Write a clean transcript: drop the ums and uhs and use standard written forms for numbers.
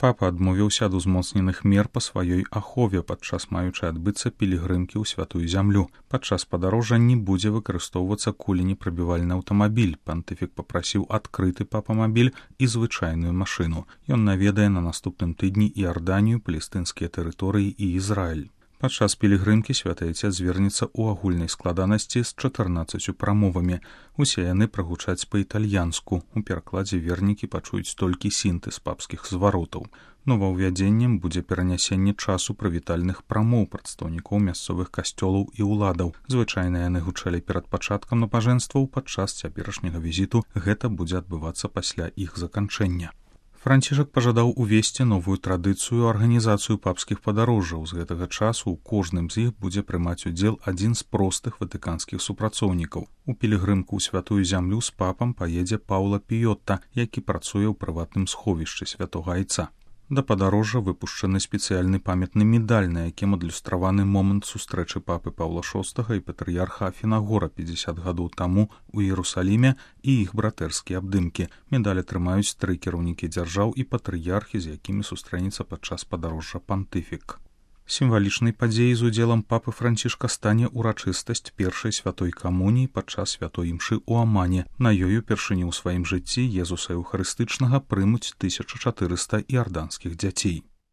Папа адмовіўся ад узмоцненых мер па сваёй ахове падчас маючай адбыцца пілігрымкі ў святую зямлю. Падчас падарожжа не будзе выкарыстоўвацца куленепрабівальны аўтамабіль. Пантыфік папрасіў адкрыты папамабіль і звычайную машыну. Ён наведае на наступным тыдні Іорданію, палестынскія тэрыторыі і Ізраіль. Падчас пілігрымкі святы Айцец звернецца ў агульнай складанасці з 14 прамовамі. Усе яны прагучаць па-італьянску. У перакладзе вернікі пачуюць толькі сінтэз папскіх зваротаў. Новаўвядзеннем будзе перанясенне часу прывітальных прамоў прадстаўнікоў мясцовых касцёлаў і ўладаў. Звычайна яны гучалі перад пачаткам набажэнстваў, падчас цяперашняга візіту гэта будзе адбывацца пасля іх заканчэння. Францішак пажадаў увесці новую традыцыю арганізацыю папскіх падарожжаў. З гэтага часу ў кожным з іх будзе прымаць удзел адзін з простых ватыканскіх супрацоўнікаў. У пілігрымку ў святую зямлю з папам паедзе Паўла Піёта, які працуе ў прыватным сховішчы святога Айца. Да падарожжа выпушчаны спецыяльны памятны медаль, на якім адлюстраваны момант сустрэчы папы Паўла VI і патрыярха Афінагора 50 гадоў таму у Іерусаліме і іх братэрскія абдымкі. Медаль атрымаюць 3 кіраўнікі дзяржаў і патрыярхі, з якімі сустрэнецца падчас падарожжа пантыфік. Сімвалічнай падзеяй з удзелам папы Францішка стане ўрачыстасць першай святой камуніі падчас святой імшы ў Амане. На ёй упершыню ў сваім жыцці Езуса Еўхарыстычнага прымуць 1400 іорданскіх дзяцей.